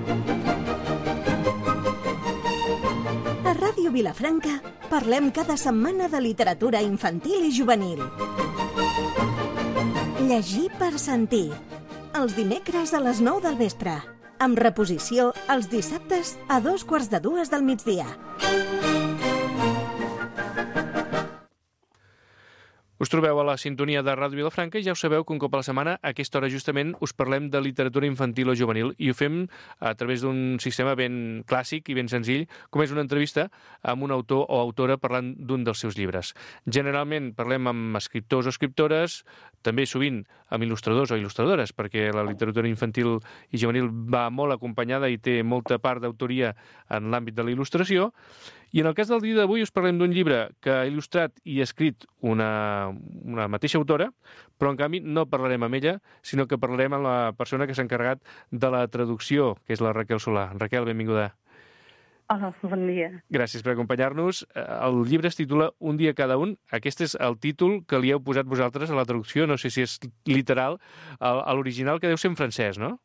A Ràdio Vilafranca parlem cada setmana de literatura infantil i juvenil. Llegir per sentir. Els dimecres a les 9 del vespre. Amb reposició els dissabtes a 2:45 del migdia. Us trobeu a la sintonia de Ràdio Vilafranca i ja ho sabeu que un cop a la setmana a aquesta hora justament us parlem de literatura infantil o juvenil i ho fem a través d'un sistema ben clàssic i ben senzill, com és una entrevista amb un autor o autora parlant d'un dels seus llibres. Generalment parlem amb escriptors o escriptores, també sovint amb il·lustradors o il·lustradores, perquè la literatura infantil i juvenil va molt acompanyada i té molta part d'autoria en l'àmbit de la il·lustració. I en el cas del dia d'avui us parlem d'un llibre que ha il·lustrat i escrit una mateixa autora, però en canvi no parlarem amb ella, sinó que parlarem amb la persona que s'ha encarregat de la traducció, que és la Raquel Solà. Raquel, benvinguda. Hola, bon dia. Gràcies per acompanyar-nos. El llibre es titula Un dia cada un. Aquest és el títol que li heu posat vosaltres a la traducció, no sé si és literal, a l'original, que deu ser en francès, no?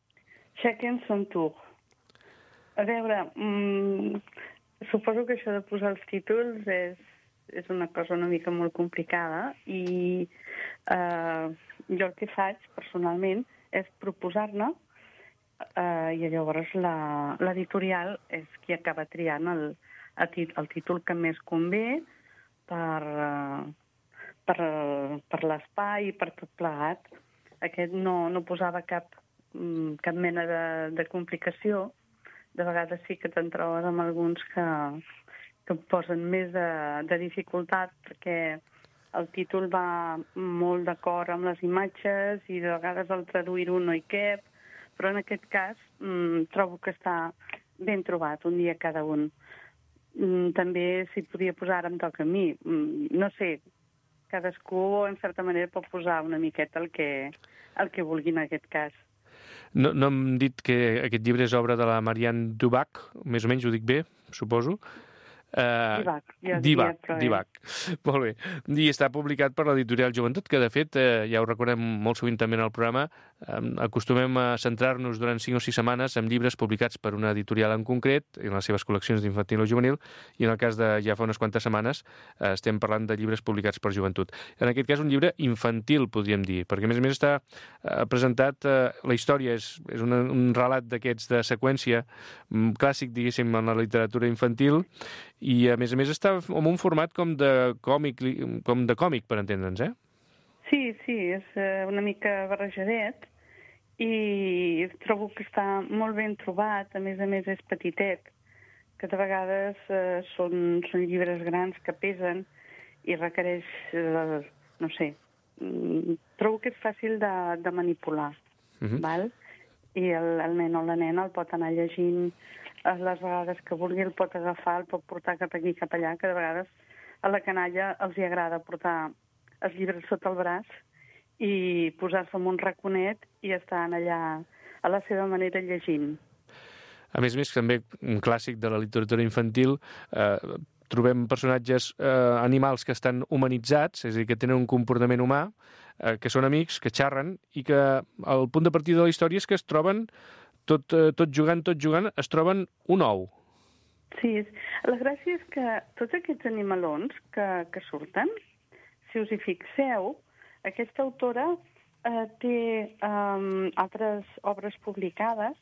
Chacun son tour. A veure, suposo que això de posar els títols és una cosa una mica molt complicada i jo el que faig personalment és proposar-ne i llavors l'editorial és qui acaba triant el títol que més convé per l'espai i per tot plegat. Aquest no posava cap mena de complicació. De vegades sí que te'n trobes amb alguns que posen més de dificultat perquè el títol va molt d'acord amb les imatges i de vegades el traduir-ho no hi cap, però en aquest cas trobo que està ben trobat, un dia cada un. També si podia posar ara em toca a mi. No sé, cadascú en certa manera pot posar una miqueta el que vulgui en aquest cas. No hem dit que aquest llibre és obra de la Marianne Dubac, més o menys ho dic bé, suposo. Divac. Molt bé. I està publicat per l'editorial Joventut, que de fet, ja ho recordem molt sovint també en el programa, acostumem a centrar-nos durant 5 o 6 setmanes en llibres publicats per una editorial en concret, en les seves col·leccions d'infantil o juvenil, i en el cas de ja fa unes quantes setmanes estem parlant de llibres publicats per Joventut. En aquest cas un llibre infantil, podríem dir, perquè a més està presentat, la història és un relat d'aquests de seqüència clàssic, diguéssim, en la literatura infantil, i a més està en un format com de còmic, per entendre'ns, eh? Sí, és una mica barrejadet i trobo que està molt ben trobat, a més és petitet, que de vegades són llibres grans que pesen i requereix, no sé, trobo que és fàcil de manipular, val? I el nen o la nena el pot anar llegint les vegades que vulgui, el pot agafar, el pot portar cap aquí, cap allà, que de vegades a la canalla els hi agrada portar els llibres sota el braç i posar-se en un raconet i estar allà a la seva manera llegint. A més, també un clàssic de la literatura infantil, trobem personatges animals que estan humanitzats, és a dir, que tenen un comportament humà, que són amics, que xerren, i que el punt de partida de la història és que es troben tot jugant, es troben un ou. Sí, la gràcia és que tots aquests animalons que surten, si us hi fixeu, aquesta autora té altres obres publicades,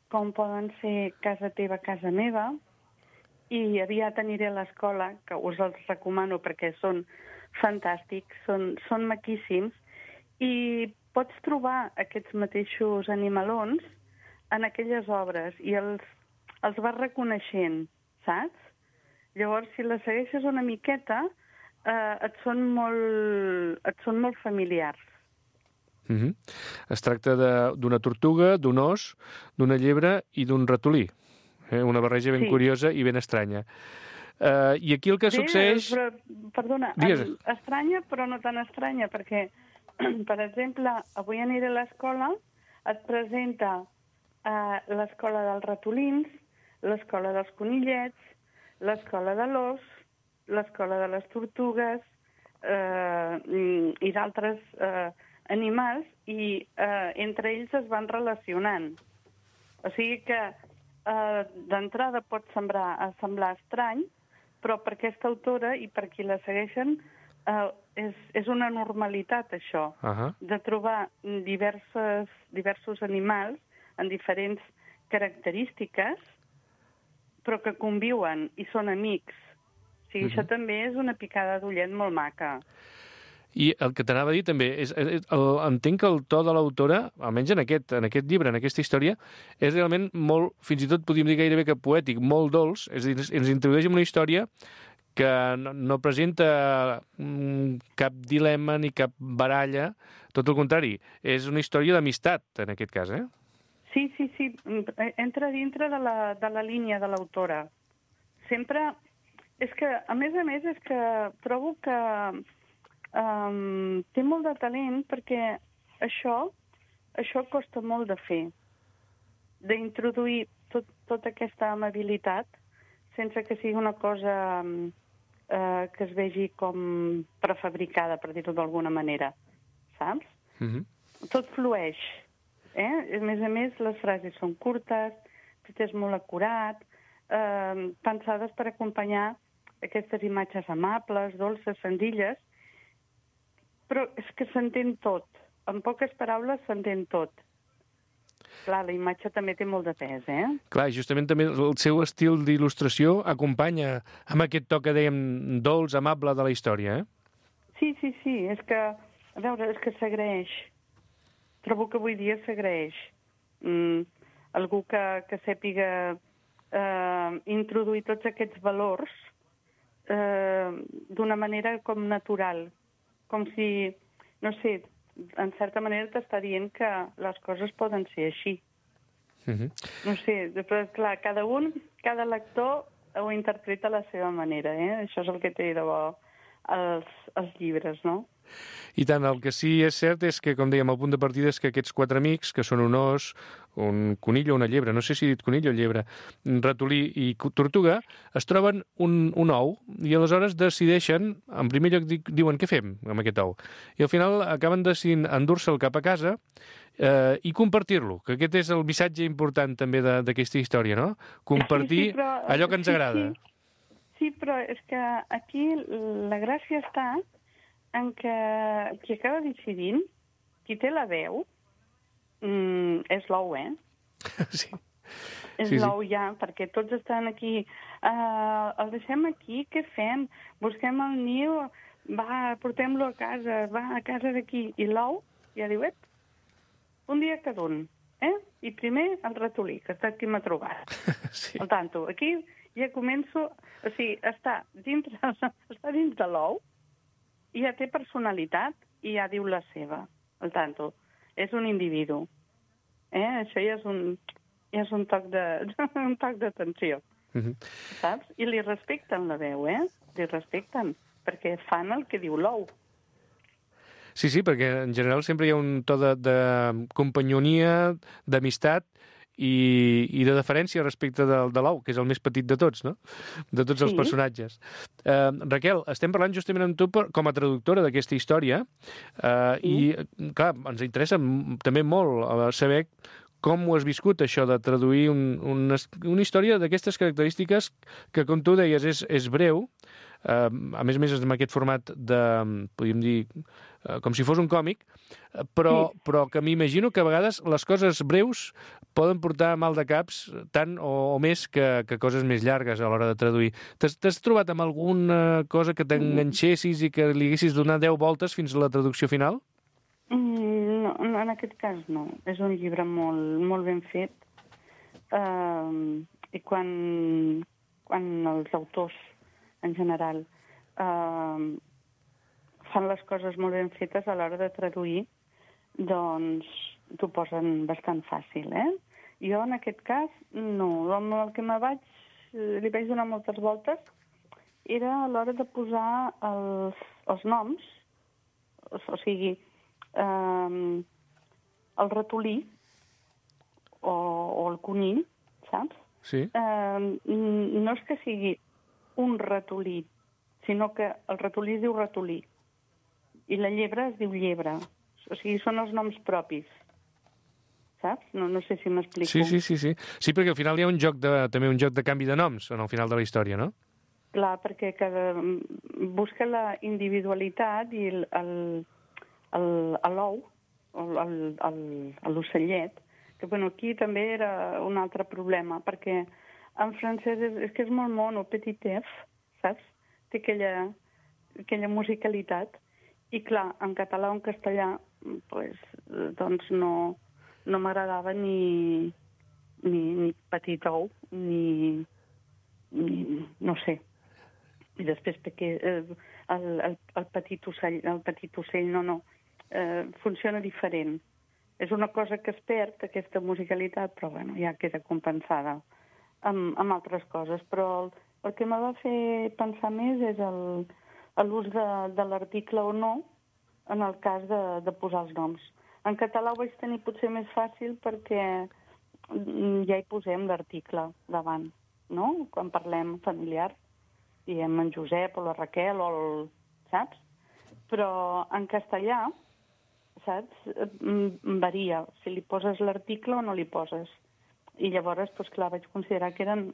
com poden ser Casa teva, casa meva, i aviat aniré a l'escola, que us els recomano perquè són fantàstics, són maquíssims, i pots trobar aquests mateixos animalons en aquelles obres i els vas reconeixent, saps? Llavors, si les segueixes una miqueta, et són molt familiars. Es tracta d'una tortuga, d'un os, d'una llebre i d'un ratolí. Una barreja ben curiosa i ben estranya. I aquí el que succeeix... Perdona, estranya però no tan estranya, perquè, per exemple, avui aniré a l'escola, et presenta l'escola dels ratolins, l'escola dels conillets, l'escola de l'os, l'escola de les tortugues i d'altres animals, i entre ells es van relacionant. O sigui que d'entrada pot semblar estrany, però per aquesta autora i per qui la segueixen és una normalitat, això, de trobar diversos animals en diferents característiques, però que conviuen i són amics. O sigui, això també és una picada d'ullet molt maca. I el que t'anava a dir també és entenc que el to de l'autora, almenys en aquest llibre, en aquesta història, és realment molt, fins i tot podríem dir gairebé que poètic, molt dolç, és a dir, ens introdueix en una història que no presenta cap dilema ni cap baralla, tot el contrari, és una història d'amistat, en aquest cas, eh? Sí, entra dintre de la línia de l'autora. Sempre... És que, a més, és que trobo que té molt de talent perquè això costa molt de fer, d'introduir tota aquesta amabilitat sense que sigui una cosa que es vegi com prefabricada, per dir-ho d'alguna manera, saps? Tot flueix, A més, les frases són curtes, tot és molt acurat, pensades per acompanyar aquestes imatges amables, dolces, senzilles, però és que s'entén tot. En poques paraules s'entén tot. Clar, la imatge també té molt de pes, Clar, justament també el seu estil d'il·lustració acompanya amb aquest toc que dèiem dolç, amable de la història, Sí, és que, a veure, és que s'agraeix. Trobo que avui dia s'agraeix. Algú que sàpiga introduir tots aquests valors d'una manera com natural. Com si, no sé, en certa manera t'està dient que les coses poden ser així. No sé, però clar, cada lector ho interpreta a la seva manera, Això és el que té de bo els llibres, no? I tant, el que sí és cert és que, com dèiem, el punt de partida és que aquests 4 amics, que són un os, un conill o una llebre, no sé si he dit conill o llebre, un ratolí i tortuga, es troben un ou i aleshores decideixen, en primer lloc diuen què fem amb aquest ou, i al final acaben decidint endur-se'l cap a casa i compartir-lo, que aquest és el missatge important també d'aquesta història, no? Compartir allò que ens agrada. Sí, però és que aquí la gràcia està en què qui acaba decidint, qui té la veu, és l'ou, Sí. És l'ou ja, perquè tots estan aquí. El deixem aquí, què fem? Busquem el niu, va, portem-lo a casa, va a casa d'aquí. I l'ou ja diu, un dia cada un, I primer el ratolí, que està aquí m'ha trobat. Sí. Al tanto, aquí ja començo... O sigui, està dins de l'ou, i ja té personalitat i ja diu la seva, al tanto. És un individu. Això ja és un toc d'atenció. Saps? I li respecten la veu, Li respecten, perquè fan el que diu l'ou. Sí, perquè en general sempre hi ha un to de companyonia, d'amistat i de deferència respecte de l'ou, que és el més petit de tots, no? De tots els personatges. Raquel, estem parlant justament amb tu com a traductora d'aquesta història i, clar, ens interessa també molt saber com ho has viscut, això de traduir una història d'aquestes característiques que, com tu deies, és breu, a més amb aquest format de, podríem dir, com si fos un còmic, però que m'imagino que a vegades les coses breus poden portar mal de caps tant o més que coses més llargues a l'hora de traduir. T'has trobat amb alguna cosa que t'enganxessis i que li haguessis donat 10 voltes fins a la traducció final? No, en aquest cas no. És un llibre molt ben fet i quan els autors en general fan les coses molt ben fetes a l'hora de traduir, doncs t'ho posen bastant fàcil, Jo, en aquest cas, no. Amb el que li vaig donar moltes voltes era a l'hora de posar els noms, o sigui, el ratolí o el conill, saps? Sí. No és que sigui un ratolí, sinó que el ratolí es diu ratolí i la llebre es diu llebre. O sigui, són els noms propis, saps? No sé si m'explico. Sí, perquè al final hi ha també un joc de canvi de noms en el final de la història, no? Clar, perquè busca la individualitat i l'ou, l'ocellet, que aquí també era un altre problema, perquè en francès és que és molt mono, petit F, saps? Té aquella musicalitat. I clar, en català o en castellà, doncs no m'agradava ni petit ou, ni no sé. I després perquè el petit ocell funciona diferent. És una cosa que es perd, aquesta musicalitat, però bueno, ja queda compensada amb altres coses. Però el que m'ha de fer pensar més és l'ús de l'article o no en el cas de posar els noms. En català ho vaig tenir potser més fàcil perquè ja hi posem l'article davant, no? Quan parlem familiar, diem en Josep o la Raquel saps? Però en castellà, saps? Varia si li poses l'article o no li poses. I llavors, doncs clar, vaig considerar que eren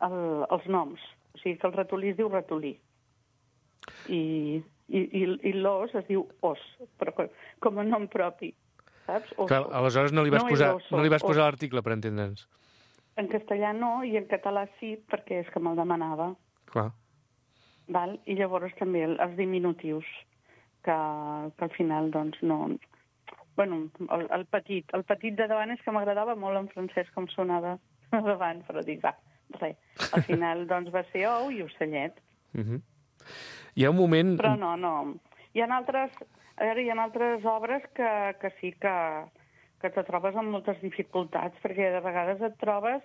els noms. O sigui que el ratolí es diu ratolí. I l'os es diu os, però com a nom propi, saps? Clar, aleshores no li vas posar l'article, per entendre'ns. En castellà no, i en català sí, perquè és que me'l demanava. Clar. Val? I llavors també els diminutius, que al final, doncs, no... Bueno, el petit de davant és que m'agradava molt en francès com sonava davant, però dic, va, res. Al final, doncs, va ser ou i ocellet. Hi ha un moment... Però no. Hi ha altres obres que sí que te trobes amb moltes dificultats, perquè de vegades et trobes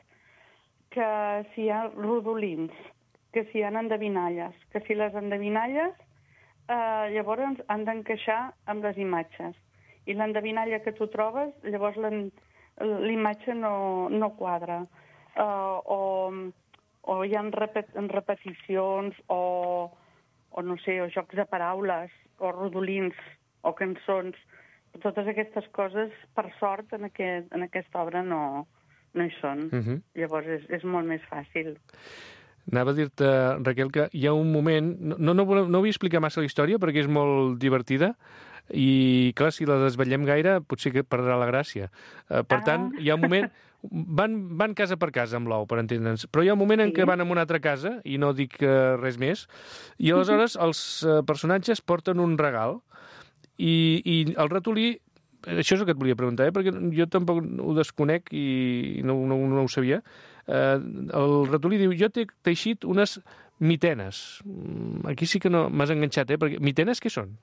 que si hi ha rodolins, que si hi ha endevinalles, que si les endevinalles llavors han d'encaixar amb les imatges. I l'endevinalla que tu trobes, llavors l'imatge no quadra. O hi ha repeticions, o no sé, o jocs de paraules, o rodolins, o cançons. Totes aquestes coses, per sort, en aquesta obra no hi són. Llavors és molt més fàcil. Anava a dir-te, Raquel, que hi ha un moment... No vull explicar massa la història perquè és molt divertida i, clar, si la desvetllem gaire potser que perdrà la gràcia. Per tant, hi ha un moment... Van casa per casa amb l'ou, per entendre'ns, però hi ha un moment en què van a una altra casa, i no dic res més, i aleshores els personatges porten un regal i el ratolí... Això és el que et volia preguntar, perquè jo tampoc ho desconec i no ho sabia. El ratolí diu, jo t'he teixit unes mitenes. Aquí sí que no m'has enganxat, perquè mitenes què són?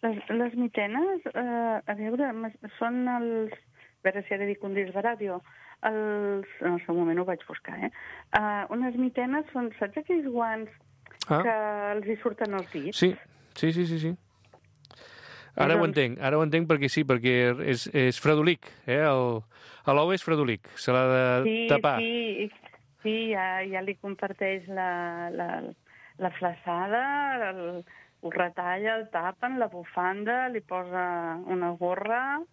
Les mitenes, a veure, són els... A veure si ara dic un disc de ràdio. En el seu moment ho vaig buscar, unes mitenes són, saps aquells guants que els hi surten els dits? Sí. Ara ho entenc perquè sí, perquè és fredolic, l'ou és fredolic, se l'ha de tapar. Sí, ja li comparteix la flaçada, ho retalla, el tapen, la bufanda, li posa una gorra,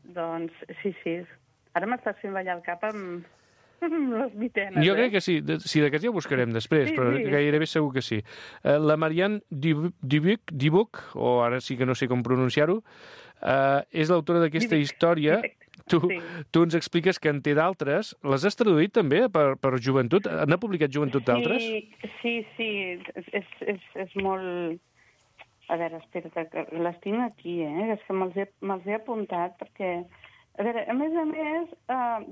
doncs sí. Ara m'estàs fent ballar el cap amb les mitenes. Jo crec que sí, d'aquests ja ho buscarem després, però gairebé segur que sí. La Marianne Dubuc, o ara sí que no sé com pronunciar-ho, és l'autora d'aquesta història. Tu ens expliques que en té d'altres. Les has traduït també per joventut? N'ha publicat joventut d'altres? Sí, és molt... A veure, espera, que les tinc aquí, és que me'ls he apuntat, perquè... A veure, a més,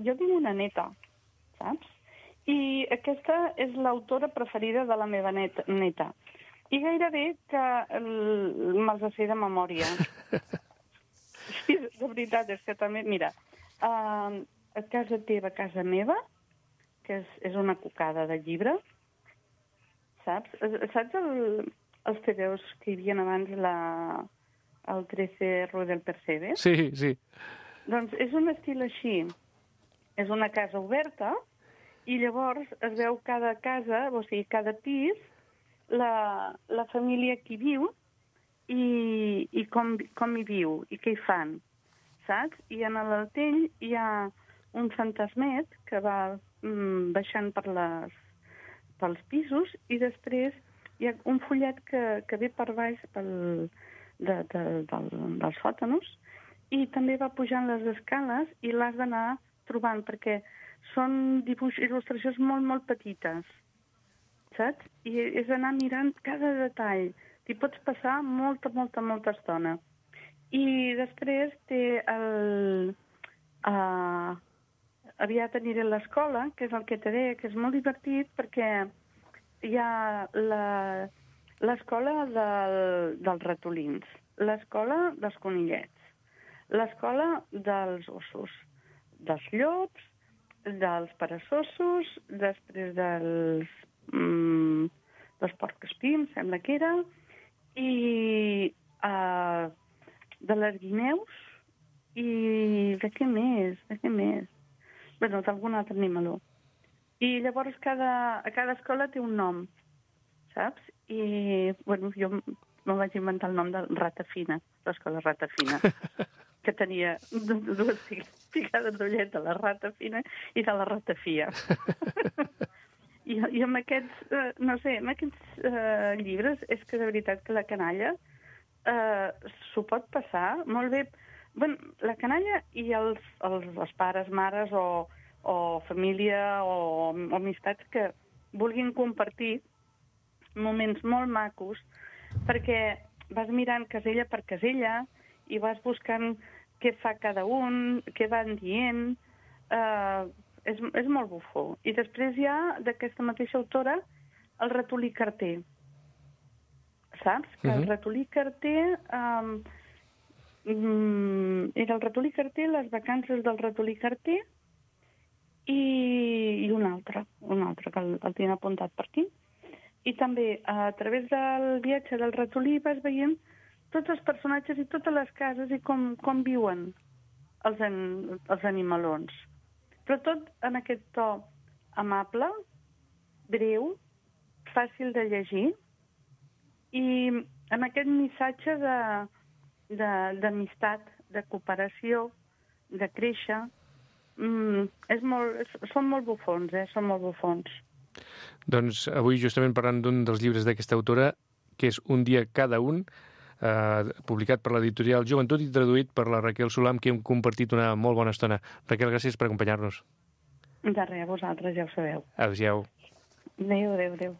jo tinc una neta, saps? I aquesta és l'autora preferida de la meva neta. I gairebé que me'ls sé de memòria. Sí, de veritat, és que també... Mira, a casa teva, a casa meva, que és una cocada de llibre, saps? Saps els TVOs que hi havia abans el 13 Rue del Percebe? Sí. Doncs és un estil així. És una casa oberta i llavors es veu cada casa, o sigui, cada pis, la família que hi viu i com hi viu i què hi fan, saps? I en l'Altell hi ha un fantasmet que va baixant pels pisos i després hi ha un fullet que ve per baix dels sòtanos i també va pujant les escales i l'has d'anar trobant perquè són il·lustracions molt, molt petites, saps? I és anar mirant cada detall. T'hi pots passar molta, molta, molta estona. I després té aviat aniré a l'escola, que és el que te deia, que és molt divertit perquè hi ha l'escola dels ratolins, l'escola dels conillets, l'escola dels ossos, dels llops, dels peresosos, després dels porc-espins, sembla que era, i de les guineus i de què més? Bueno, d'algun altre animaló. I llavors a cada escola té un nom, saps? I, bueno, jo me vaig inventar el nom de Ratafina, l'escola Ratafina, que tenia dues picades d'ullet de la Ratafina i de la Ratafia. I amb aquests, no sé, amb aquests llibres és que de veritat que la canalla s'ho pot passar molt bé. Bueno, la canalla i els pares, mares o família o amistats que vulguin compartir moments molt macos perquè vas mirant casella per casella i vas buscant què fa cada un, què van dient. És molt bufó. I després hi ha, d'aquesta mateixa autora, el ratolí carter. Saps? Que el ratolí carter... era el ratolí carter, les vacances del ratolí carter i un altre que el tinc apuntat per aquí. I també, a través del viatge del ratolí vas veient tots els personatges i totes les cases i com viuen els animalons. Però tot en aquest to amable, breu, fàcil de llegir i amb aquest missatge d'amistat, de cooperació, de créixer. Són molt bufons, són molt bufons. Doncs avui justament parlant d'un dels llibres d'aquesta autora, que és Un dia cada un, publicat per l'editorial Joventut i traduït per la Raquel Solà, amb qui hem compartit una molt bona estona. Raquel, gràcies per acompanyar-nos. De res, vosaltres ja ho sabeu. Adéu. Adéu.